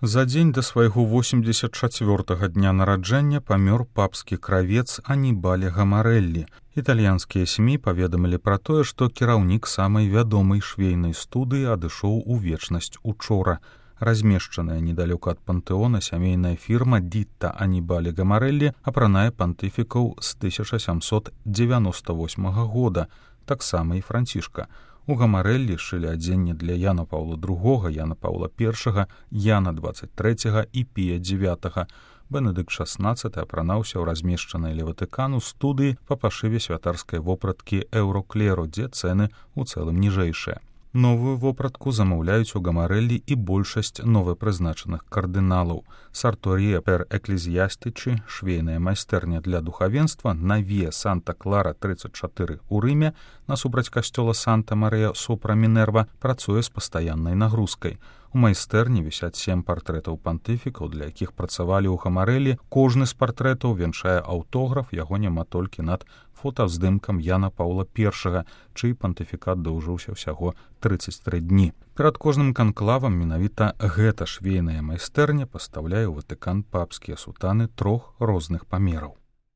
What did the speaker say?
За дзень да свайго 84-га дня нараджэння памёр папскі кравец Анібале Гамарэллі. Італьянскія СМІ паведамілі пра тое, што кіраўнік самай вядомай швейнай студыі адышоў у вечнасць учора. Размешчаная недалёка ад пантэона сямейная фірма Дітта Анібале Гамарэллі апранае пантыфікаў з 1798 года, таксама і Францішка. У Гамарэллі шылі адзенне для Яна Паўла II, Яна Паўла I, Яна XXIII і Пія IX. Бенедыкт XVI апранаўся ў размешчанай ля Ватыкану студыі па пашыве святарскай вопраткі Еўроклеру, дзе цэны ў цэлым ніжэйшыя. Новую вопратку замаўляюць у Гамарэллі і большасць новапрызначаных кардыналаў. Сарторія пер эклезіястычы, швейная майстэрня для духавенства на Віа Санта-Клара 34 у Рыме, насупраць касцёла Санта-Марыя сопра Мінерва, працуе з пастаяннай нагрузкай. У майстэрні вісяць 7 партрэтаў пантыфікаў, для якіх працавалі ў Гамарэллі. Кожны з партрэтаў вянчае аўтограф, яго няма толькі над фотаздымкам Яна Паўла I, чый пантыфікат доўжыўся ўсяго 33 дні. Перад кожным канклавам менавіта гэта швейная майстэрня пастаўляе ў Ватыкан папскія сутаны 3 розных памераў.